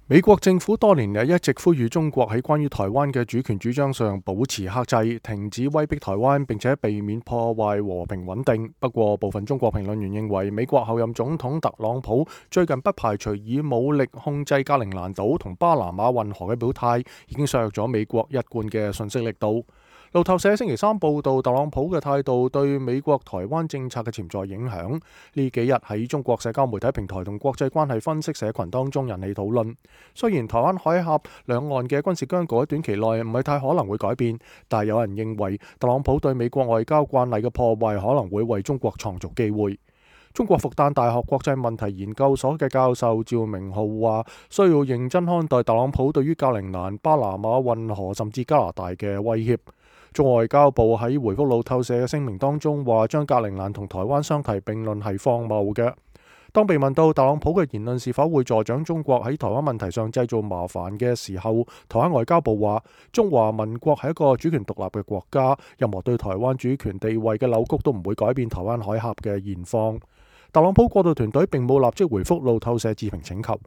美國政府多年嚟一直呼籲中國喺關於台灣嘅主權主張上保持克制，停止威逼台灣，並且避免破壞和平穩定。不過，部分中國評論員認為，美國候任總統特朗普最近不排除以武力控制格陵蘭島同巴拿馬運河嘅表態，已經削弱咗美國一貫嘅訊息力度。路透社星期三報道，特朗普嘅態度對美國台灣政策嘅潛在影響，呢幾日喺中國社交媒體平台同國際關係分析社群當中引起討論。雖然台灣海峽兩岸嘅軍事僵局喺短期內唔係太可能會改變，但係有人認為特朗普對美國外交慣例嘅破壞可能會為中國創造機會。中國復旦大學國際問題研究所嘅教授趙明浩話，需要認真看待特朗普對於格陵蘭、巴拿馬運河甚至加拿大嘅威脅。中國外交部喺回覆路透社嘅聲明當中話，將格陵蘭同台灣相提並論係荒謬嘅。當被問到特朗普嘅言論是否會助長中國喺台灣問題上製造麻煩嘅時候，台灣外交部話，中華民國係一個主權獨立嘅國家，任何對台灣主權地位嘅扭曲都唔會改變台灣海峽嘅現況。特朗普過渡團隊並冇立即回覆路透社置評請求。